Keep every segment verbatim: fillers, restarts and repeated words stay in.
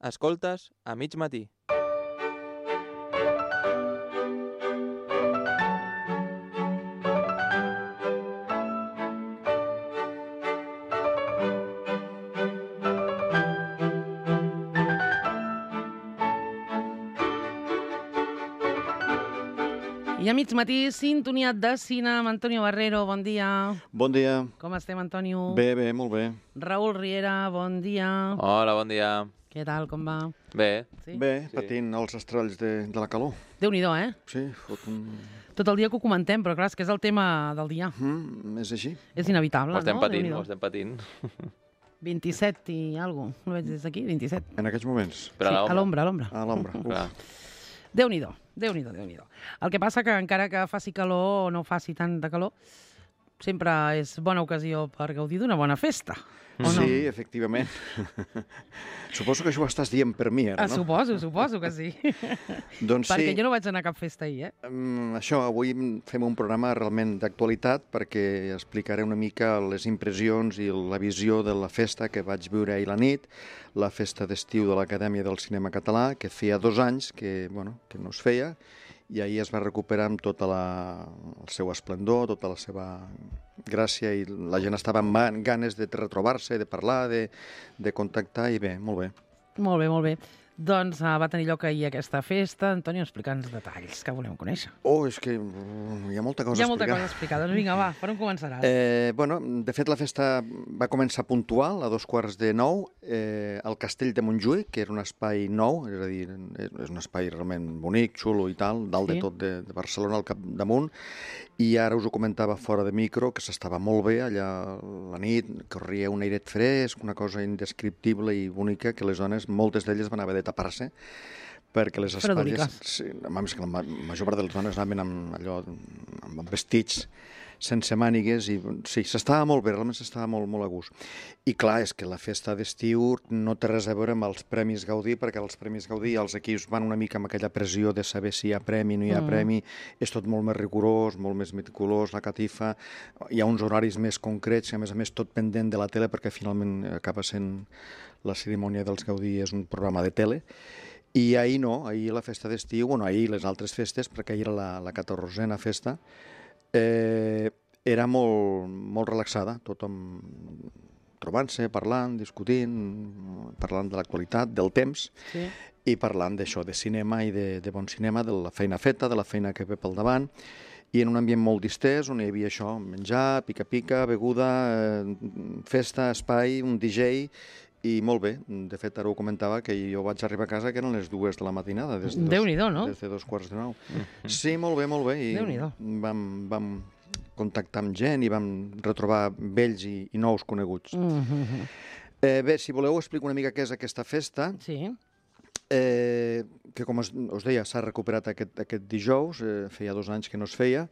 Escoltes a mig matí. I a mig matí, sintonia de cine amb Antonio Barrero, bon dia. Bon dia. Com estem, Antonio? Bé, bé, molt bé. Raül Riera, bon dia. Hola, bon dia. Què tal, com va? Bé. Sí? Bé, Sí. patint els estralls de, de la calor. Déu-n'hi-do, eh? Sí, fot un... Tot el dia que ho comentem, però clar, és que és el tema del dia. Mm, és així. És inevitable, Ho estem no? patint, Déu-n'hi-do. ho estem patint. vint-i-set i alguna cosa. No veig des d'aquí? vint-i-set. En aquests moments. Però Sí, a a l'ombra. l'ombra, a l'ombra. A l'ombra. Clar. Déu-n'hi-do, Déu-n'hi-do, Déu-n'hi-do. El que passa que encara que faci calor o no faci tanta calor, sempre és bona ocasió per gaudir d'una bona festa, o no? Sí, efectivament. Suposo que això ho estàs dient per mi, ara, Ah, no? suposo, suposo que sí. Doncs Perquè sí. jo no vaig anar a cap festa ahir, eh? Mm, això, avui fem un programa realment d'actualitat perquè explicaré una mica les impressions i la visió de la festa que vaig viure ahir la nit, la festa d'estiu de l'Acadèmia del Cinema Català, que feia dos anys que, bueno, que no es feia, i ahir es va recuperar amb tot la, el seu esplendor, tota la seva gràcia, i la gent estava amb man- ganes de retrobar-se, de parlar, de, de contactar, i bé, molt bé. Molt bé, molt bé. Doncs uh, va tenir lloc ahir aquesta festa. Antonio, explica'ns detalls que volem conèixer. Oh, és que mm, hi ha molta cosa Hi ha a molta explicar. cosa a explicar. Doncs vinga, va, per on començaràs? Eh, bueno, de fet, la festa va començar puntual, a dos quarts de nou, eh, al Castell de Montjuïc, que era un espai nou, és a dir, és, és un espai realment bonic, xulo i tal, dalt Sí. de tot de, de Barcelona, al capdamunt, i ara us ho comentava fora de micro, que s'estava molt bé allà la nit, corria un airet fresc, una cosa indescriptible i bonica, que les dones, moltes d'elles van haver de tapar-se, perquè les espatlles... Fredoliques. Sí, home, és que la ma- major part de les dones anaven amb allò, amb vestits sense mànigues, i sí, s'estava molt bé, realment s'estava molt, molt a gust. I clar, és que la festa d'estiu no té res a veure amb els Premis Gaudí, perquè els Premis Gaudí els equips van una mica amb aquella pressió de saber si hi ha premi, no hi ha Mm. premi, és tot molt més rigorós, molt més meticulós, la catifa, hi ha uns horaris més concrets, i a més a més tot pendent de la tele, perquè finalment acaba sent la cerimònia dels Gaudí és un programa de tele. I ahir no, ahir la festa d'estiu, bueno, ahir les altres festes, perquè ahir era la, la catorzena festa, eh, era molt, molt relaxada, tothom trobant-se, parlant, discutint, parlant de l'actualitat, del temps, Sí. i parlant d'això, de cinema i de, de bon cinema, de la feina feta, de la feina que ve pel davant, i en un ambient molt distès, on hi havia això, menjar, pica-pica, beguda, eh, festa, espai, un D J, i molt bé. De fet, ara ho comentava, que jo vaig arribar a casa que eren les dues de la matinada, des de dos, Déu-n'hi-do, no? des de dos quarts de nou. Sí, molt bé, molt bé, i Déu-n'hi-do. vam, vam contactar amb gent i vam retrobar vells i, i nous coneguts. Mm -hmm. Eh, bé, si voleu, explico una mica què és aquesta festa, Sí. eh, que, com us, us deia, s'ha recuperat aquest, aquest dijous, eh, feia dos anys que no es feia,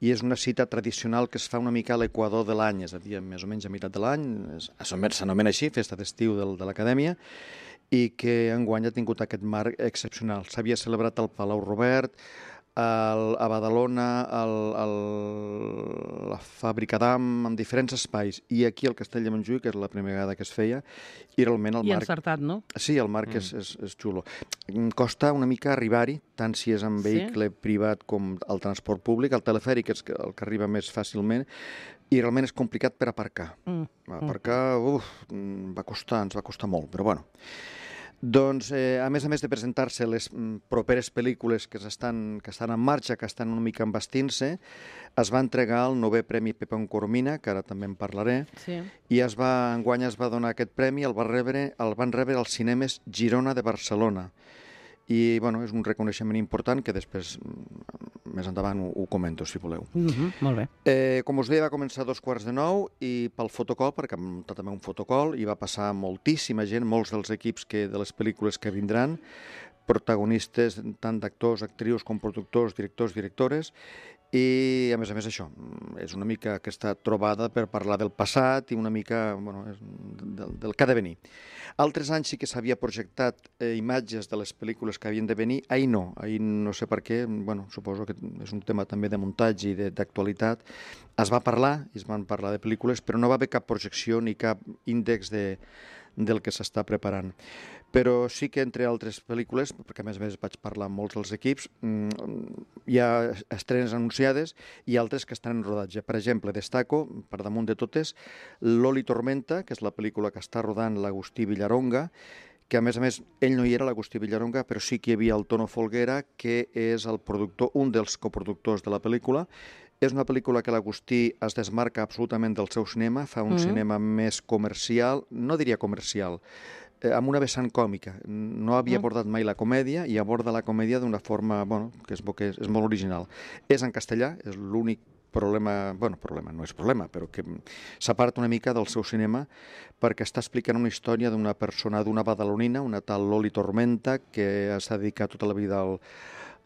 i és una cita tradicional que es fa una mica a l'equador de l'any, és a dir, més o menys a meitat de l'any, és- s'anomena així, festa d'estiu del, de l'Acadèmia, i que enguany ha tingut aquest marc excepcional. S'havia celebrat al Palau Robert, al, a Badalona, al, al, la Fàbrica d'Am, en diferents espais, i aquí al Castell de Montjuïc, que és la primera vegada que es feia, i realment el I marc... encertat, no? Sí, el marc mm. és, és, és xulo. Em Costa una mica arribar-hi, tant si és en Sí? vehicle privat com el transport públic. El telefèric és el que arriba més fàcilment, i realment és complicat per aparcar. Mm. Aparcar, uf, mm, va costar, ens va costar molt, però bueno. Doncs, eh, a més a més de presentar-se les mm, properes pel·lícules que estan, que estan en marxa, que estan una mica embastint-se, es va entregar el novè Premi Pepón Coromina, que ara també en parlaré, Sí. i es va, enguany es va donar aquest premi, el, va rebre, el van rebre als cinemes Girona de Barcelona. I bueno, és un reconeixement important que després, mm, més endavant, ho, ho comento, si voleu. Mm -hmm. Molt bé. Eh, com us deia, va començar a dos quarts de nou i pel fotocol, perquè hem muntat també un fotocol, i va passar moltíssima gent, molts dels equips que, de les pel·lícules que vindran, protagonistes tant d'actors, actrius com productors, directors, directores, i a més a més això, és una mica aquesta trobada per parlar del passat i una mica bueno, és del, del que ha de venir. Altres anys sí que s'havia projectat eh, imatges de les pel·lícules que havien de venir, ahir no, ahir no sé per què, bueno, suposo que és un tema també de muntatge i de- d'actualitat. Es va parlar, i es van parlar de pel·lícules, però no va haver cap projecció ni cap índex de, del que s'està preparant. Però sí que entre altres pel·lícules, perquè a més a més vaig parlar amb molts dels equips, hi ha estrenes anunciades i altres que estan en rodatge. Per exemple, destaco, per damunt de totes, L'Oli Tormenta, que és la pel·lícula que està rodant l'Agustí Villaronga, que a més a més ell no hi era, l'Agustí Villaronga, però sí que hi havia el Tono Folguera, que és el productor, un dels coproductors de la pel·lícula. És una pel·lícula que l'Agustí es desmarca absolutament del seu cinema, fa un mm. cinema més comercial, no diria comercial, eh, amb una vessant còmica. No havia mm. abordat mai la comèdia i aborda la comèdia d'una forma, bueno, que és, que és, és molt original. És en castellà, és l'únic problema, bueno, problema no és problema, però que s'aparta una mica del seu cinema perquè està explicant una història d'una persona, d'una badalonina, una tal Loli Tormenta, que s'ha dedicat tota la vida al,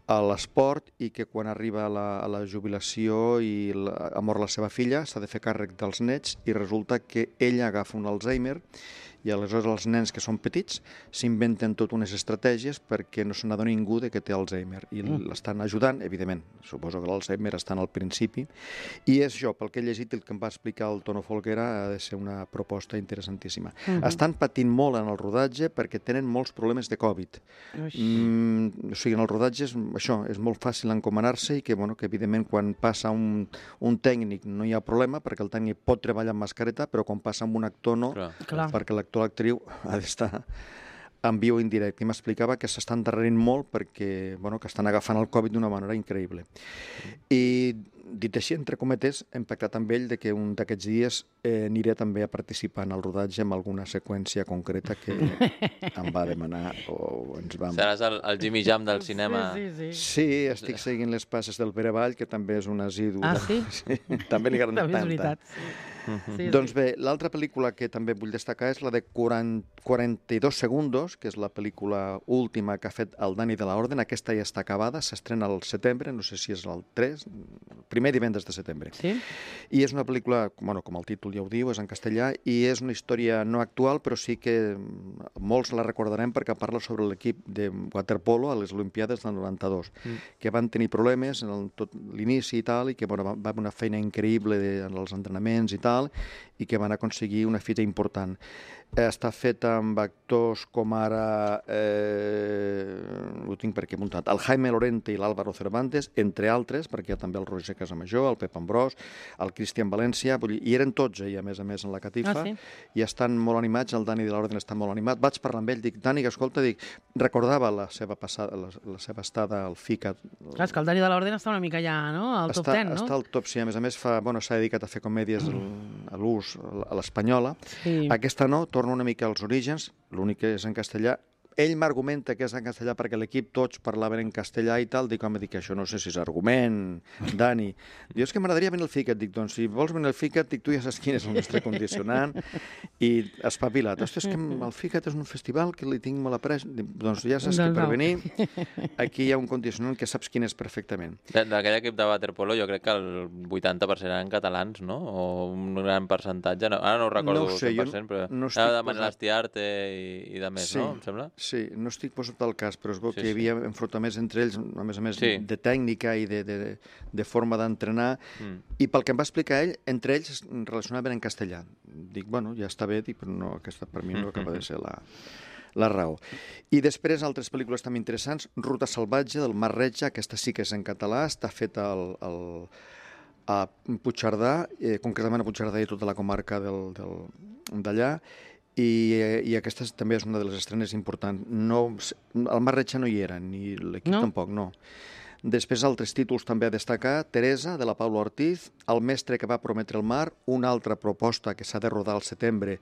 a l'esport i que quan arriba a la, a la jubilació i la, ha mort la seva filla s'ha de fer càrrec dels nets i resulta que ella agafa un Alzheimer i aleshores els nens que són petits s'inventen tot unes estratègies perquè no se n'adoni ningú de que té Alzheimer i l'estan ajudant, evidentment, suposo que l'Alzheimer està al principi i és això, pel que he llegit el que em va explicar el Tono Folguera ha de ser una proposta interessantíssima. Uh-huh. Estan patint molt en el rodatge perquè tenen molts problemes de Covid. Mm, o sigui, en el rodatge és, això, és molt fàcil encomanar-se i que, bueno, que evidentment quan passa un, un tècnic no hi ha problema perquè el tècnic pot treballar amb mascareta, però quan passa amb un actor no, Clar. Clar. perquè l'actor l'actriu ha d'estar en viu indirecte. I m'explicava que s'estan darrerint molt perquè, bueno, que estan agafant el Covid d'una manera increïble. I dit així, entre cometes, hem pactat amb ell de que un d'aquests dies eh, aniré també a participar en el rodatge amb alguna seqüència concreta que em va demanar o ens vam... Seràs el, el Jimmy Jam del cinema. Sí, sí, sí. Sí, estic seguint les passes del Pere Vall, que també és un asidu. Ah, sí? sí també li agrada també tant. és veritat. Uh-huh. Sí, doncs bé, l'altra pel·lícula que també vull destacar és la de quaranta-dos segundos, que és la pel·lícula última que ha fet el Dani de la Orden. Aquesta ja està acabada, s'estrena al setembre, no sé si és el tres, primer divendres de setembre. Sí? I és una pel·lícula, bueno, com el títol ja ho diu, és en castellà, i és una història no actual, però sí que molts la recordarem perquè parla sobre l'equip de waterpolo a les Olimpiades del noranta-dos, mm. que van tenir problemes en el, tot l'inici i tal, i que bueno, va haver una feina increïble de, en els entrenaments i tal, i que van aconseguir una fita important. Està feta amb actors com ara, eh, ho tinc per aquí apuntat, el Jaime Lorente i l'Álvaro Cervantes, entre altres, perquè hi ha també el Roger Casamajor, el Pep Ambrós, el Cristian València, vull dir, i eren tots ahir, a més a més, en la catifa, ah, sí? I estan molt animats, el Dani de l'Orden està molt animat. Vaig parlar amb ell, dic, Dani, que escolta, dic, recordava la seva passada, la, la seva estada al FICA. Clar, és que el Dani de l'Orden està una mica ja, no?, al top ten, no? Està al top, sí, a més a més, fa, bueno, s'ha dedicat a fer comèdies a l'ús, a l'espanyola. Sí. Aquesta no, torna una mica als orígens, l'únic que és en castellà. Ell m'argumenta que és en castellà perquè l'equip tots parlaven en castellà i tal. Dic, home, dic, això no sé si és argument, Dani. Diu, és que m'agradaria venir al FICAT. Dic, doncs, si vols venir al FICAT, dic, tu ja saps quin és el nostre condicionant. I espavilat. Ostres, és que el FICAT és un festival que li tinc molt après. Dic, doncs ja saps que per venir aquí hi ha un condicionant que saps quin és perfectament. D'aquell equip de waterpolo jo crec que el vuitanta per cent eren catalans, no? O un gran percentatge. No, ara no ho recordo no ho sé, cent per cent, però no era de Manel Astiarte i, i de més, sí. no? Em sembla? Sí, no estic posat al cas, però es veu sí, que hi havia sí. enfrontaments entre ells, a més a més, sí. de tècnica i de, de, de forma d'entrenar, mm. i pel que em va explicar ell, entre ells es relacionaven en castellà. Dic, bueno, ja està bé, dic, però no, aquesta per mi no acaba de ser la, la raó. I després, altres pel·lícules també interessants, Ruta salvatge, del Mar Retja, aquesta sí que és en català, està feta al, al, a Puigcerdà, eh, concretament a Puigcerdà i tota la comarca del, del, d'allà, I, i aquesta també és una de les estrenes importants. No, el Mar Retja no hi era, ni l'equip no? tampoc, no. Després, altres títols també a destacar, Teresa, de la Paula Ortiz, El mestre que va prometre el mar, una altra proposta que s'ha de rodar al setembre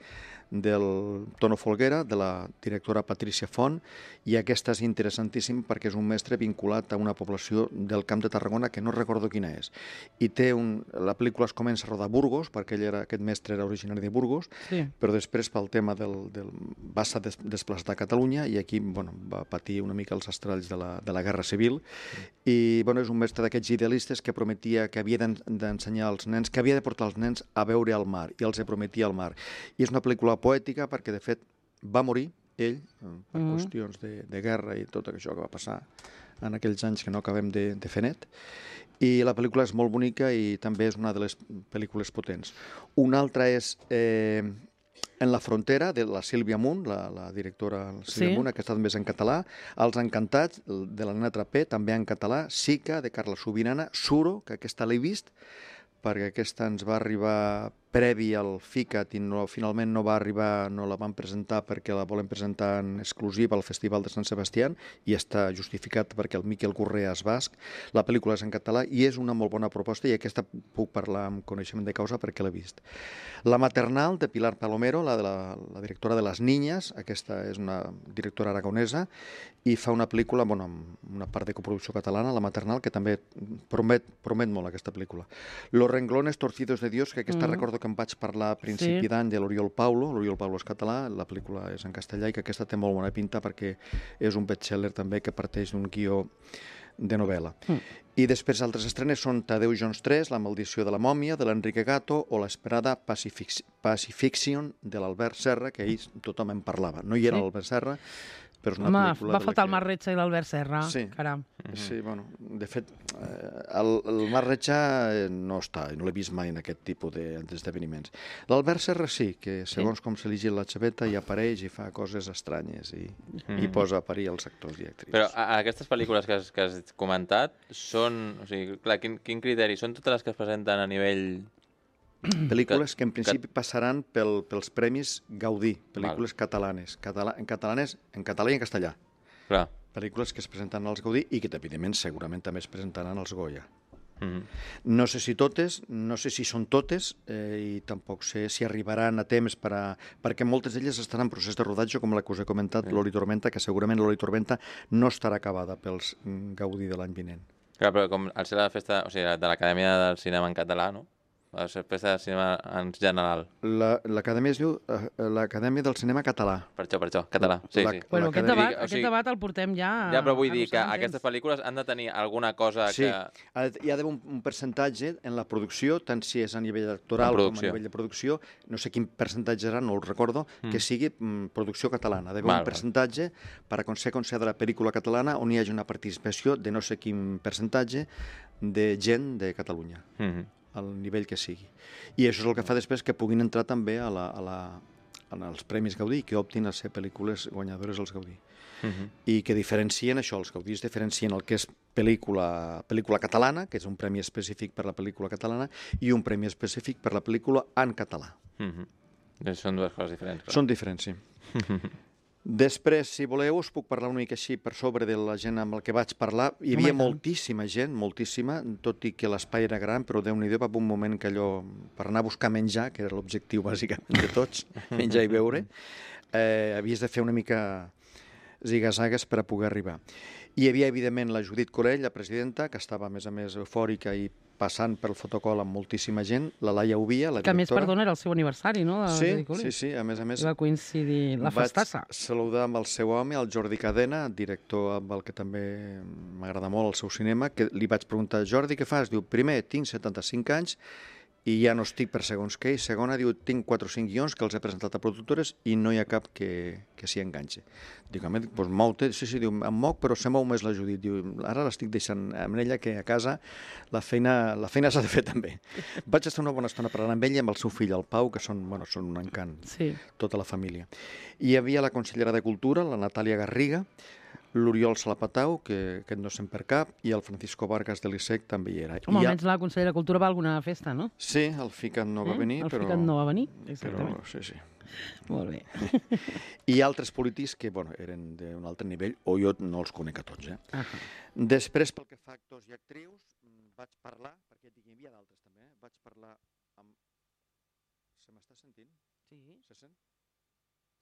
del Tono Folguera, de la directora Patricia Font, i aquesta és interessantíssima perquè és un mestre vinculat a una població del Camp de Tarragona que no recordo quina és. I té un... La pel·lícula es comença a rodar a Burgos, perquè ell era, aquest mestre era originari de Burgos, sí. però després pel tema del... del va ser des, desplaçat a Catalunya i aquí bueno, va patir una mica els estralls de la, de la Guerra Civil. I bueno, és un mestre d'aquests idealistes que prometia que havia d'ensenyar als nens, que havia de portar els nens a veure el mar, i els prometia el mar. I és una pel·lícula poètica perquè, de fet, va morir ell per mm-hmm. qüestions de, de guerra i tot això que va passar en aquells anys que no acabem de, de fer net. I la pel·lícula és molt bonica i també és una de les pel·lícules potents. Una altra és eh, En la frontera, de la Sílvia Munt, la, la directora Sílvia Sí. Munt, que ha estat més en català, Els Encantats, de la Nena Trapé, també en català, Sica, de Carla Subirana, Suro, que aquesta l'he vist, perquè aquesta ens va arribar previ al FICAT i no, finalment no va arribar, no la van presentar perquè la volen presentar en exclusiva al Festival de Sant Sebastián i està justificat perquè el Miquel Correa és basc. La pel·lícula és en català i és una molt bona proposta i aquesta puc parlar amb coneixement de causa perquè l'he vist. La Maternal, de Pilar Palomero, la, de la, la directora de Les Niñas, aquesta és una directora aragonesa i fa una pel·lícula, bueno, amb una part de coproducció catalana, La Maternal, que també promet, promet molt aquesta pel·lícula. Los renglones torcidos de Dios, que aquesta mm. recordo que em vaig parlar a principi sí. d'any de l'Oriol Paulo, l'Oriol Paulo és català, la pel·lícula és en castellà i que aquesta té molt bona pinta perquè és un bestseller també que parteix d'un guió de novel·la. Mm. I després altres estrenes són Tadeu Jones tres, La maldició de la mòmia, de l'Enrique Gato, o l'esperada Pacific Pacifiction, de l'Albert Serra, que ahir tothom en parlava. No hi era sí. l'Albert Serra, però és una Home, pel·lícula... va de faltar que... el Marc Retxa i l'Albert Serra, sí. caram. Sí, bueno, de fet, el, el Marc Retxa no està, no l'he vist mai en aquest tipus d'esdeveniments. L'Albert Serra sí, que segons sí? com se li gira la xaveta hi apareix i fa coses estranyes i, mm. i posa a parir els actors i actrius. Però a, a aquestes pel·lícules que has, que has comentat són... O sigui, clar, quin, quin criteri? Són totes les que es presenten a nivell... Pel·lícules que en principi passaran pel, pels Premis Gaudí, pel·lícules Val. catalanes, Catala, en catalanes, en català i en castellà. Clar. Pel·lícules que es presenten als Gaudí i que, evidentment, segurament també es presentaran als Goya. Mm-hmm. No sé si totes, no sé si són totes, eh, i tampoc sé si arribaran a temps per a... perquè moltes d'elles estan en procés de rodatge, com la que us he comentat, sí. l'Oli Tormenta, que segurament l'Oli Tormenta no estarà acabada pels Gaudí de l'any vinent. Clar, però com al ser la festa, o sigui, de l'Acadèmia del Cinema en català, no? La festa de cinema en general. L'Acadèmia es diu l'Acadèmia del Cinema Català. Per això, per això, català. Sí, la, sí. Bueno, aquest debat, o sigui, aquest debat el portem ja... Ja, però vull dir que aquestes pel·lícules han de tenir alguna cosa sí. que... Sí, hi ha d'haver un, un percentatge en la producció, tant si és a nivell actoral com a nivell de producció, no sé quin percentatge serà, no el recordo, mm. que sigui mm, producció catalana. Ha d'haver un percentatge per aconseguir considerar la pel·lícula catalana on hi hagi una participació de no sé quin percentatge de gent de Catalunya. Mm-hmm. Al nivell que sigui. I això és el que fa després que puguin entrar també a la, a la, als Premis Gaudí, que optin a ser pel·lícules guanyadores als Gaudí. Uh-huh. I que diferencien això, els Gaudís diferencien el que és pel·lícula, pel·lícula catalana, que és un premi específic per la pel·lícula catalana, i un premi específic per la pel·lícula en català. Uh-huh. Són dues coses diferents. Però... Són diferents, sí. Després, si voleu, us puc parlar una mica així per sobre de la gent amb la que vaig parlar. Hi havia moltíssima gent, moltíssima, tot i que l'espai era gran, però Déu-n'hi-do, va un moment que allò, per anar a buscar menjar, que era l'objectiu bàsicament de tots, menjar i beure, eh, havies de fer una mica zigazagues per a poder arribar. Hi havia, evidentment, la Judit Corell, la presidenta, que estava, a més a més, eufòrica i passant pel fotocol amb moltíssima gent, la Laia Ubia, la directora... Que a més, perdona, era el seu aniversari, no? De sí, sí, sí, a més a més... I va coincidir la festassa. Vaig saludar amb el seu home, el Jordi Cadena, director amb el que també m'agrada molt el seu cinema, que li vaig preguntar, Jordi, què fas? Diu, primer, tinc setanta-cinc anys i ja no estic per segons què, i segona, diu, tinc quatre o cinc guions que els he presentat a productores i no hi ha cap que, que s'hi enganxa. Dic, home, doncs mou-te, sí, sí, diu, em moc, però se mou més la Judit. Diu, ara l'estic deixant amb ella, que a casa la feina la feina s'ha de fer també. Vaig estar una bona estona parlant amb ell i amb el seu fill, el Pau, que són, bueno, són un encant, sí. Tota la família. I hi havia la consellera de Cultura, la Natàlia Garriga, l'Oriol Salapatau, que aquest no se'n per cap, i el Francisco Vargas de l'I S E C també hi era. Home, almenys la consellera de Cultura va a alguna festa, no? Sí, el FICAT no va venir, el però... El FICAT no va venir, exactament. Però, sí, sí. Molt bé. I altres polítics que, bueno, eren d'un altre nivell, o jo no els conec a tots, eh? Uh -huh. Després, pel que fa a actors i actrius, vaig parlar, perquè hi havia d'altres també, eh? Vaig parlar amb... Se m'està sentint? Sí. Se sent?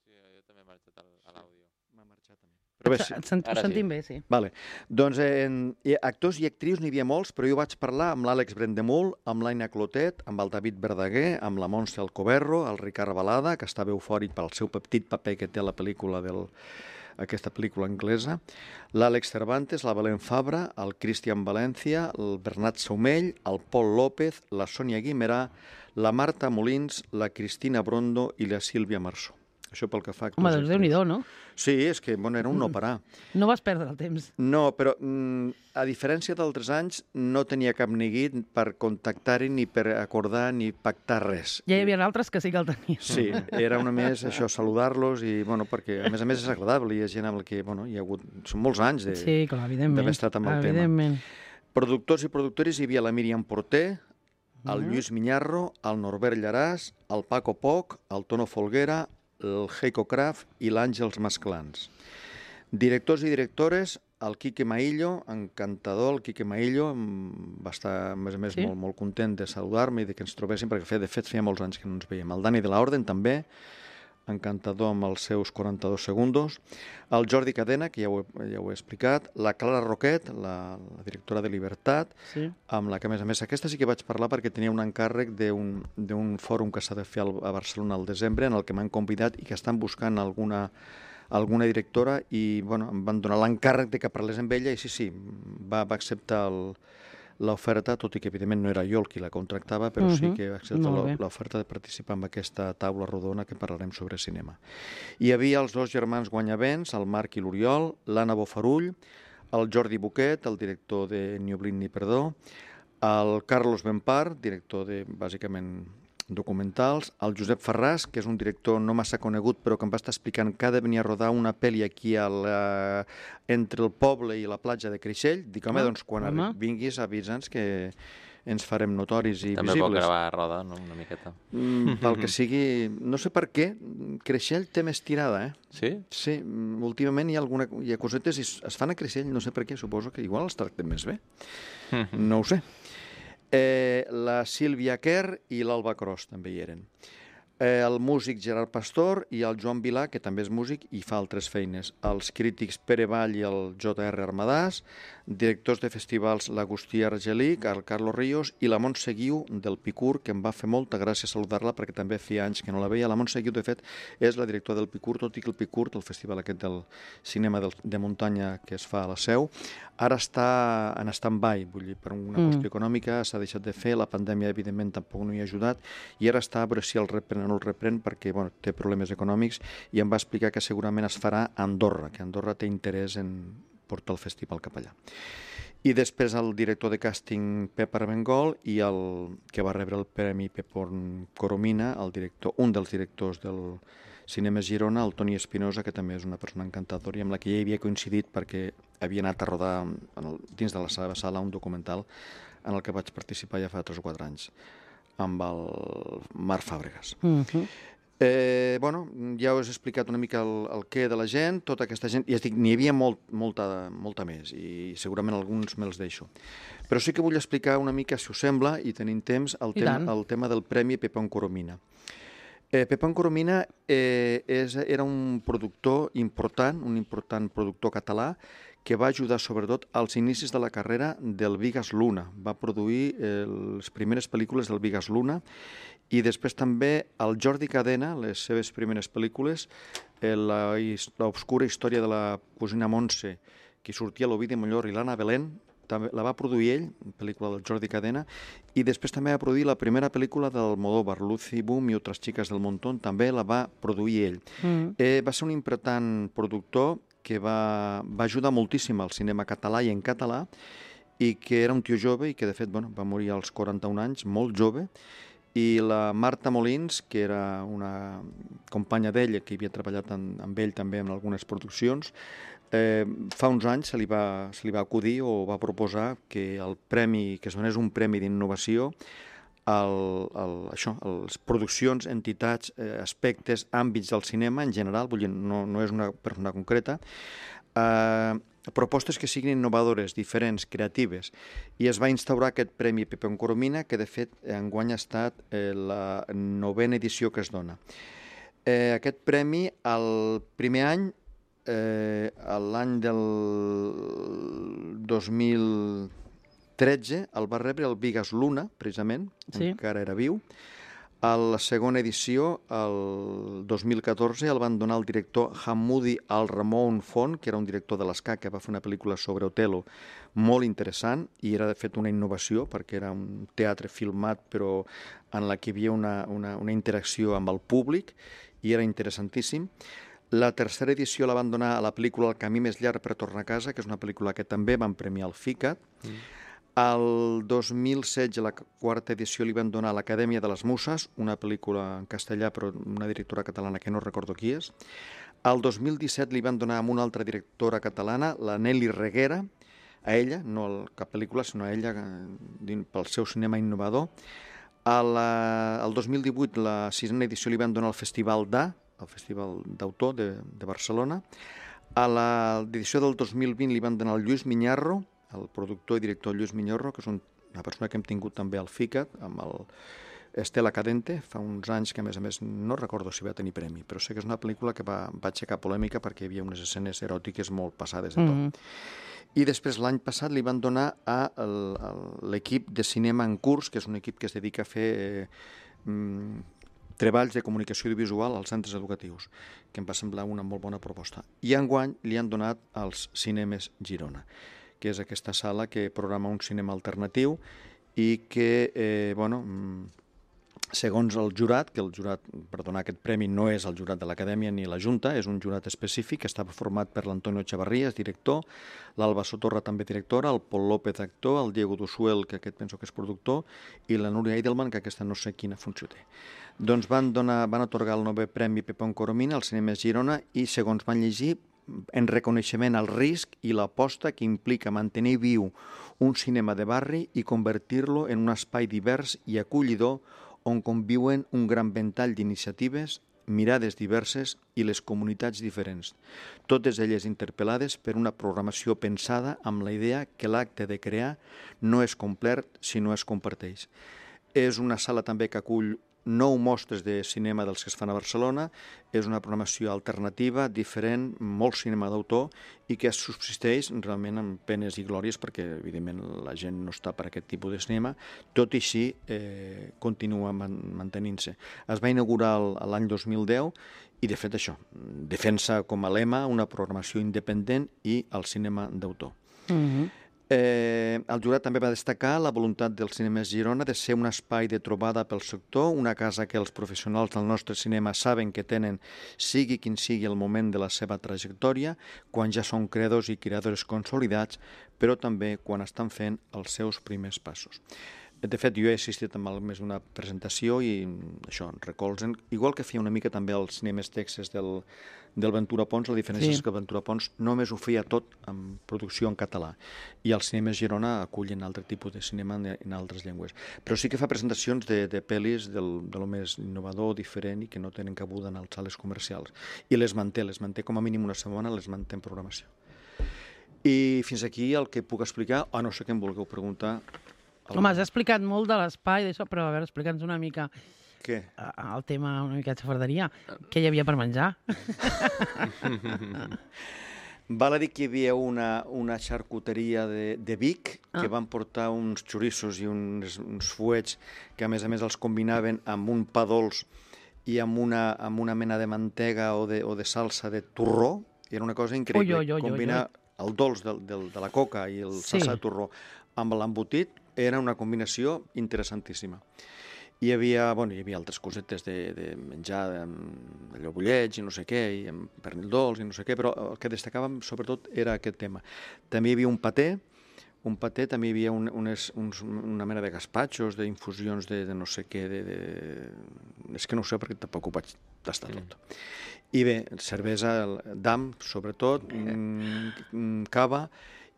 Sí, jo també he marxat a l'àudio. M'ha marxat també. Però bé, sí. Et sent, sentim sí. bé, sí. Vale. Doncs en, actors i actrius n'hi havia molts, però jo vaig parlar amb l'Àlex Brendemul, amb l'Aina Clotet, amb el David Verdaguer, amb la Montse Alcoberro, el Ricard Balada, que estava eufòric pel seu petit paper que té a la pel·lícula del... aquesta pel·lícula anglesa, l'Àlex Cervantes, la Belén Fabra, el Cristian Valencia, el Bernat Saumell, el Pol López, la Sònia Guimerà, la Marta Molins, la Cristina Brondo i la Sílvia Marsó. Això pel que fa a actors Home, i doncs actrius. Déu-n'hi-do, no? Sí, és que bueno, era un no parar. No vas perdre el temps. No, però mm, a diferència d'altres anys, no tenia cap neguit per contactar-hi, ni per acordar, ni pactar res. Ja hi havia altres que sí que el tenien. Sí, era una més això, saludar-los, i bueno, perquè a més a més és agradable, hi ha gent amb la que bueno, hi ha hagut... Són molts anys de, Sí, clar, evidentment. d'haver estat amb el evidentment. tema. Productors i productores hi havia la Míriam Porter, el Lluís Miñarro, el Norbert Llaràs, el Paco Poch, el Tono Folguera, el Heiko Kraft i l'Àngels Masclans. Directors i directores, el Quique Maillo, encantador, el Quique Maillo, va estar, a més a més, Sí? molt, molt content de saludar-me i de que ens trobéssim, perquè de fet feia molts anys que no ens veiem. El Dani de la Orden, també, encantador amb els seus quaranta-dos segundos. El Jordi Cadena, que ja ho, he, ja ho he explicat. La Clara Roquet, la, la directora de Libertat, Sí. amb la que, a més a més, aquesta sí que vaig parlar perquè tenia un encàrrec d'un d'un fòrum que s'ha de fer al, a Barcelona al desembre, en el que m'han convidat i que estan buscant alguna, alguna directora i bueno, em van donar l'encàrrec de que parlés amb ella i sí, sí, va, va acceptar el, l'oferta, tot i que evidentment no era jo el qui la contractava, però uh -huh. sí que va acceptar Molt bé. l'oferta de participar en aquesta taula rodona que parlarem sobre cinema. Hi havia els dos germans guanyavents, el Marc i l'Oriol, l'Anna Bofarull, el Jordi Buquet, el director de Ni Oblid ni Perdó, el Carlos Benpar, director de, bàsicament, documentals, el Josep Ferràs, que és un director no massa conegut, però que em va estar explicant que ha de venir a rodar una pel·li aquí a la... entre el poble i la platja de Creixell. Dic, home, Ah, doncs quan home. vinguis avisa'ns que ens farem notoris i També pot visibles. gravar a roda, no? Una miqueta. Mm, pel que sigui... No sé per què, Creixell té més tirada, eh? Sí? Sí, mm, últimament hi ha, alguna, hi ha cosetes i es es fan a Creixell, no sé per què, suposo que igual els tractem més bé. No ho sé. Eh, la Sílvia Kerr i l'Alba Cros també hi eren. Eh, el músic Gerard Pastor i el Joan Vilà, que també és músic i fa altres feines. Els crítics Pere Vall i el J R Armadàs, directors de festivals l'Agustí Argelic, el Carlos Ríos i la Montse Guiu del Picur, que em va fer molta gràcia saludar-la perquè també feia anys que no la veia. La Montse Guiu, de fet, és la directora del Picur, tot i que el Picur, el festival aquest del cinema del, de muntanya que es fa a la Seu, ara està en stand-by, vull dir, per una mm. qüestió econòmica s'ha deixat de fer, la pandèmia evidentment tampoc no hi ha ajudat, i ara està a veure si el reprèn o no el reprèn perquè bueno, té problemes econòmics, i em va explicar que segurament es farà a Andorra, que Andorra té interès en portar el festival cap allà. I després el director de càsting Pep Armengol i el que va rebre el Premi Pepón Coromina, el director, un dels directors del Cinema Girona, el Toni Espinosa, que també és una persona encantadora i amb la que ja havia coincidit perquè havia anat a rodar en el, dins de la seva sala un documental en el que vaig participar ja fa tres o quatre anys amb el Marc Fàbregas. Uh -huh. Eh, bueno, ja us he explicat una mica el, el què de la gent, tota aquesta gent, i ja dic, n'hi havia molt, molta, molta més, i segurament alguns me'ls deixo. Però sí que vull explicar una mica, si us sembla, i tenim temps, el, tema, el tema del Premi Pepón Coromina. Eh, Pepón Coromina eh, és, era un productor important, un important productor català, que va ajudar sobretot als inicis de la carrera del Vigas Luna. Va produir eh, les primeres pel·lícules del Vigas Luna i després també el Jordi Cadena, les seves primeres pel·lícules, eh, l'obscura història de la cosina Montse, que sortia a l'Ovidi Mollor i l'Anna Belén, també la va produir ell, pel·lícula del Jordi Cadena, i després també va produir la primera pel·lícula del Almodóvar, Lucy Boom i altres xiques del Montón, també la va produir ell. Mm. Eh, va ser un important productor que va, va ajudar moltíssim al cinema català i en català, i que era un tio jove i que, de fet, bueno, va morir als quaranta-un anys, molt jove, i la Marta Molins, que era una companya d'ella, que havia treballat en, amb ell també en algunes produccions, eh, fa uns anys se li, va, se li va acudir o va proposar que el premi, que es donés un premi d'innovació el, el, això, les produccions, entitats, eh, aspectes, àmbits del cinema en general, vull dir, no, no és una persona concreta, eh, propostes que siguin innovadores, diferents, creatives, i es va instaurar aquest Premi Pepón Coromina, que de fet enguany ha estat eh, la novena edició que es dona. Eh, aquest premi, el primer any, eh, l'any del dos mil tretze, el va rebre el Vigas Luna, precisament, sí. Encara era viu. A la segona edició, el dos mil catorze, el van donar al director Hamoudi Al-Ramon Font, que era un director de l'Esca, que va fer una pel·lícula sobre Otelo molt interessant, i era de fet una innovació, perquè era un teatre filmat, però en la que hi havia una, una, una interacció amb el públic, i era interessantíssim. La tercera edició la van donar a la pel·lícula El camí més llarg per tornar a casa, que és una pel·lícula que també van premiar al FICAT. Mm. El dos mil setze, la quarta edició, li van donar a l'Acadèmia de les Muses, una pel·lícula en castellà, però una directora catalana que no recordo qui és. El dos mil disset li van donar a una altra directora catalana, la Nelly Reguera, a ella, no a cap pel·lícula, sinó a ella pel seu cinema innovador. El, el dos mil divuit, la sisena edició, li van donar al Festival d'A, el Festival d'Autor de, de Barcelona. A l'edició del dos mil vint li van donar al Lluís Miñarro, el productor i director Lluís Miñarro, que és una persona que hem tingut també al FICAT, amb el Estela Cadente, fa uns anys que, a més a més, no recordo si va tenir premi, però sé que és una pel·lícula que va, va aixecar polèmica perquè hi havia unes escenes eròtiques molt passades de tot. Mm -hmm. I després, l'any passat, li van donar a l'equip de cinema en curs, que és un equip que es dedica a fer eh, mm, treballs de comunicació audiovisual als centres educatius, que em va semblar una molt bona proposta. I enguany li han donat als Cinemes Girona, que és aquesta sala que programa un cinema alternatiu i que, eh, bueno, segons el jurat, que el jurat per donar aquest premi no és el jurat de l'Acadèmia ni la Junta, és un jurat específic que està format per l'Antonio Chavarrías, director, l'Alba Sotorra, també directora, el Pol López, actor, el Diego Dusuel, que aquest penso que és productor, i la Núria Eidelman, que aquesta no sé quina funció té. Doncs van, donar, van atorgar el novè premi Pepón Coromina als Cinemes Girona i, segons van llegir, en reconeixement al risc i l'aposta que implica mantenir viu un cinema de barri i convertir-lo en un espai divers i acollidor on conviuen un gran ventall d'iniciatives, mirades diverses i les comunitats diferents, totes elles interpel·lades per una programació pensada amb la idea que l'acte de crear no és complet si no es comparteix. És una sala també que acull nou mostres de cinema dels que es fan a Barcelona, és una programació alternativa, diferent, molt cinema d'autor i que subsisteix realment amb penes i glòries perquè, evidentment, la gent no està per aquest tipus de cinema, tot i així eh, continua man mantenint-se. Es va inaugurar l'any dos mil deu i, de fet, això, defensa com a lema una programació independent i el cinema d'autor. Mm-hmm. Eh, el jurat també va destacar la voluntat del Cinemes Girona de ser un espai de trobada pel sector, una casa que els professionals del nostre cinema saben que tenen, sigui quin sigui el moment de la seva trajectòria, quan ja són creadors i creadors consolidats, però també quan estan fent els seus primers passos. De fet, jo he assistit a més d'una presentació i això, recolzen, igual que feia una mica també als Cinemes Texas del, del Ventura Pons, la diferència sí. és que el Ventura Pons només ho feia tot en producció en català i els Cinemes Girona acullen altre tipus de cinema en, en altres llengües. Però sí que fa presentacions de, de pel·lis del, de lo més innovador, diferent i que no tenen cabuda en les sales comercials. I les manté, les manté com a mínim una setmana, les manté en programació. I fins aquí el que puc explicar, a no sé què em vulgueu preguntar. Home, has explicat molt de l'espai d'això, però a veure, explica'ns una mica què? El tema una mica de xafarderia. Què hi havia per menjar? Val a dir que hi havia una, una xarcuteria de, de Vic que ah. van portar uns xoriços i uns, uns fuets que a més a més els combinaven amb un pa dolç i amb una, amb una mena de mantega o de, o de salsa de torró. I era una cosa increïble. Ui, ui, ui, combinar ui, ui. el dolç del, del, de la coca i el sí. salsa de torró amb l'embotit era una combinació interessantíssima. Hi havia, bueno, hi havia altres cosetes de, de menjar, allò bullets i no sé què, i amb pernil dolç i no sé què, però el que destacàvem sobretot era aquest tema. També hi havia un paté, un paté, també hi havia un, unes, uns, una mena de gaspatxos, d'infusions de, de no sé què, de, de... és que no ho sé perquè tampoc ho vaig tastar tot. Mm. I bé, cervesa d'am, sobretot, mm, cava.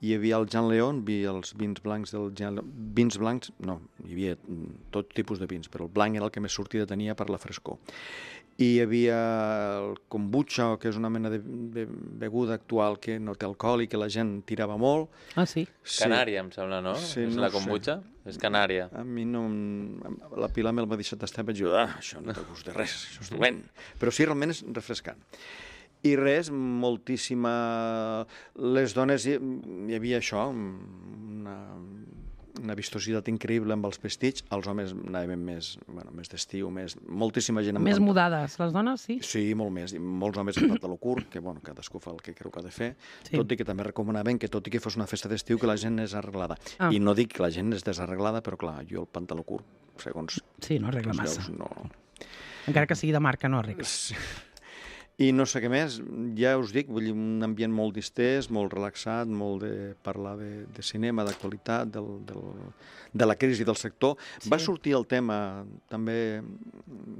Hi havia el Jean León, hi havia els vins blancs del Jean León. Vins blancs, no, hi havia tot tipus de vins, però el blanc era el que més sortida tenia per la frescor. I hi havia el kombucha, que és una mena de, de beguda actual que no té alcohol i que la gent tirava molt. Ah, sí? sí. Canària, em sembla, no? Sí, és no la kombucha? Sé. És canària. A mi no... La Pilar me'l va deixar tastar i vaig dir, ah, això no té gust de res, això és dolent. Però sí, realment és refrescant. I res, moltíssima... Les dones, hi, hi havia això, una, una vistositat increïble amb els vestits. Els homes anaven més, bueno, més d'estiu, més... moltíssima gent... Més amb... mudades, les dones, sí? Sí, molt més. I molts homes amb pantaló curt, que bueno, cadascú fa el que creu que ha de fer, sí. Tot i que també recomanaven que tot i que fos una festa d'estiu que la gent és arreglada. Ah. I no dic que la gent és desarreglada, però clar, jo el pantaló curt, segons... Sí, no arregla massa. Veus, no... encara que sigui de marca, no arregla. Sí. I no sé què més, ja us dic, vull dir, un ambient molt distès, molt relaxat, molt de parlar de, de cinema, d'actualitat, del, del, de la crisi del sector. Sí. Va sortir el tema, també,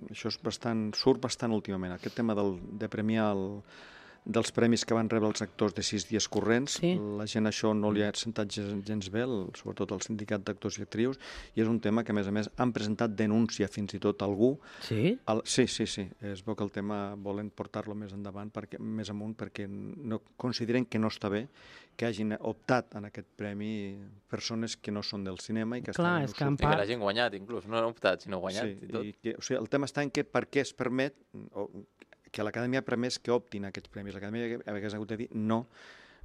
això és bastant, surt bastant últimament, aquest tema del, de premiar el, dels premis que van rebre els actors de sis dies corrents. Sí. La gent això no li ha sentat gens, gens bé, el, sobretot el sindicat d'actors i actrius, i és un tema que, a més a més, han presentat denúncia fins i tot a algú. Sí? El, sí, sí, sí. Es veu que el tema volen portar-lo més endavant, perquè, més amunt, perquè no, consideren que no està bé que hagin optat en aquest premi persones que no són del cinema i que Clar, estan... és que en I que l'hagin guanyat, inclús. No han optat, sinó guanyat Sí, i tot. i que, o sigui, el tema està en que per què es permet o, que l'Acadèmia ha permès que optin aquests premis. L'Acadèmia hagués hagut de dir no,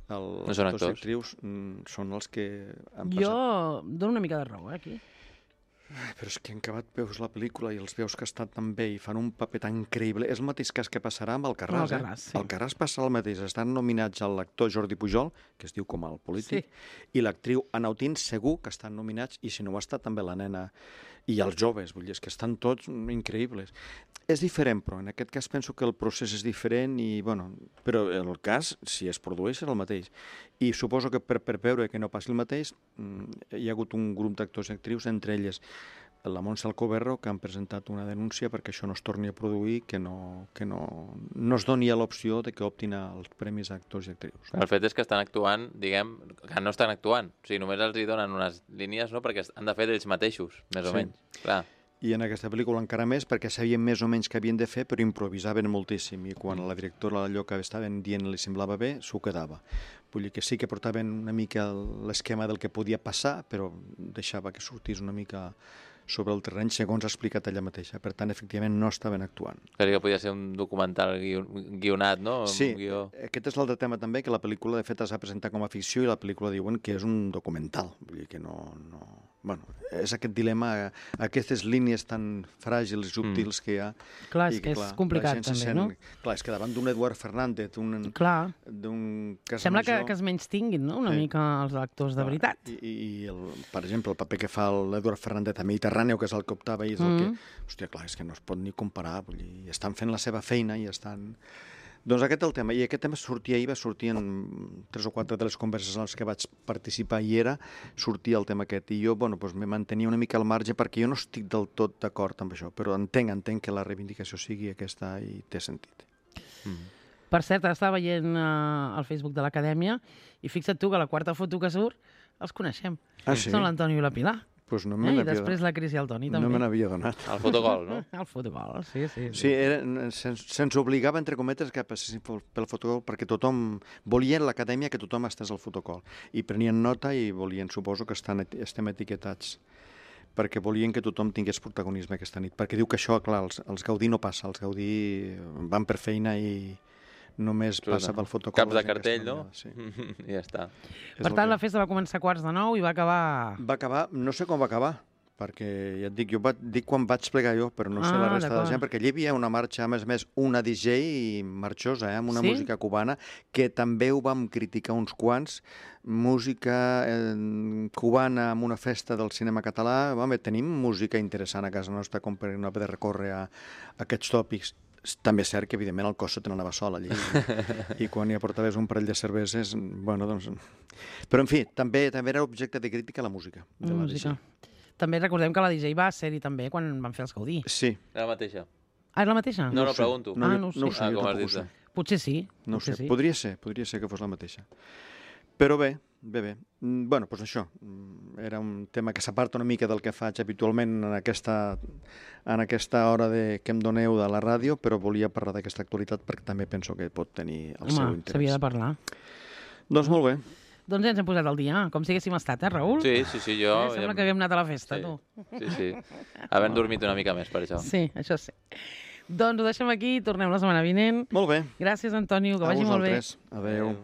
el, No són actors i actors. actrius mm, són els que han Jo passat. dono una mica de raó, eh, aquí. Però és que en acabat veus la pel·lícula i els veus que estan tan bé i fan un paper tan increïble. És el mateix cas que passarà amb el Carràs. Amb el Carràs, eh? sí. El Carràs passa el mateix. Estan nominats a l'actor Jordi Pujol, que es diu com el polític, i l'actriu Anautín segur que estan nominats, i si no ho està també la nena i els joves, vull dir, és que estan tots increïbles. És diferent, però en aquest cas penso que el procés és diferent, i, bueno, però el cas, si es produeix, és el mateix. I suposo que per, per veure que no passi el mateix, hi ha hagut un grup d'actors i actrius, entre elles la Montse Alcoberro, que han presentat una denúncia perquè això no es torni a produir, que no, que no, no es doni l'opció de que optin als premis a actors i actrius. El fet és que estan actuant, diguem, que no estan actuant. O sigui, només els hi donen unes línies, no?, perquè han de fer ells mateixos, més o Sí. menys. Clar. I en aquesta pel·lícula encara més, perquè sabien més o menys què havien de fer, però improvisaven moltíssim, i quan a la directora allò que estaven dient li semblava bé, s'ho quedava. Vull dir que sí que portaven una mica l'esquema del que podia passar, però deixava que sortís una mica sobre el terreny, segons ha explicat ella mateixa. Per tant, efectivament, no estaven actuant. Crec que podia ser un documental guion, guionat, no? Sí, Un guió. aquest és l'altre tema també, que la pel·lícula de fet es va presentar com a ficció i la pel·lícula diuen que és un documental. Vull dir que no... no... Bueno, és aquest dilema, aquestes línies tan fràgils i subtils mm. que hi ha. Clar, és i que és la complicat gent se també, sent, no? Clar, és que davant d'un Eduard Fernández, d'un... Clar. d'un Sembla que, Casamajor, que es menys tinguin, no?, una Sí. mica els actors de clar, veritat. I, i el, per exemple, el paper que fa l'Eduard Fernández a Mediterráneo, que és el que optava i és el Mm. que... Hòstia, clar, és que no es pot ni comparar. Vull dir, estan fent la seva feina i estan... Doncs aquest el tema, i aquest tema sortia ahir, va sortir en tres o quatre de les converses en les que vaig participar i era, sortia el tema aquest, i jo, bueno, doncs me mantenia una mica al marge perquè jo no estic del tot d'acord amb això, però entenc, entenc que la reivindicació sigui aquesta i té sentit. Mm. Per cert, ara estava veient uh, el Facebook de l'Acadèmia i fixa't tu que la quarta foto que surt els coneixem. Ah, sí? Són l'Antonio i la Pilar. Pues no Eh? me I n'havia després la Cris i el Toni, també. no me n'havia donat. El fotogol, no? El fotogol, sí, sí. Sí, era, se'ns, se'ns obligava, entre cometes, que passessin pel pel fotocol perquè tothom... Volien l'acadèmia que tothom estàs al fotocol. I prenien nota i volien, suposo que estan, estem etiquetats perquè volien que tothom tingués protagonisme aquesta nit. Perquè diu que això, clar, els, els Gaudí no passa. Els Gaudí van per feina i només passa pel fotocol. Caps la de gent que cartell, està no? allà, sí. I ja està. És Per el tant, que- la festa va començar a quarts de nou i va acabar... Va acabar, no sé com va acabar, perquè ja et dic, jo va, dic quan vaig plegar jo, però no sé Ah, la resta de la d'acord. gent, perquè allà hi havia una marxa, a més a més, una D J marxosa, eh, amb una Sí? música cubana, que també ho vam criticar uns quants, música eh, cubana amb una festa del cinema català. Home, tenim música interessant a casa nostra com per no haver de recórrer a, a aquests tòpics. També és cert que, evidentment, el Cosso te n'anava sol allí. I quan hi aportaves un parell de cerveses, bueno, doncs... Però, en fi, també també era objecte de crítica la música. De la música. D J. També recordem que la D J va ser-hi també quan van fer els Gaudí. Sí. Era la mateixa. Ah, és la mateixa? No, no, ho sé. pregunto. No, Ah, jo- no ho sé. no ho sé, Ah, jo com has tampoc ho dit, sé. Potser sí. No ho sé, potser sí. podria ser, podria ser que fos la mateixa. Però bé, bé, bé. Mm, Bueno, doncs això, mm, era un tema que s'aparta una mica del que faig habitualment en aquesta, en aquesta hora de, que em doneu de la ràdio, però volia parlar d'aquesta actualitat perquè també penso que pot tenir el seu Home, interès. s'havia de parlar. Doncs molt bé. Doncs ja ens hem posat al dia, com si haguéssim estat, eh, Raül? Sí, sí, sí, jo... Eh, sembla que haguem anat a la festa, sí. tu. Sí, sí. Havent dormit una mica més, per això. Sí, això sí. Doncs ho deixem aquí, tornem la setmana vinent. Molt bé. Gràcies, Antonio, que A vagi molt bé. vosaltres. Adéu. Adéu.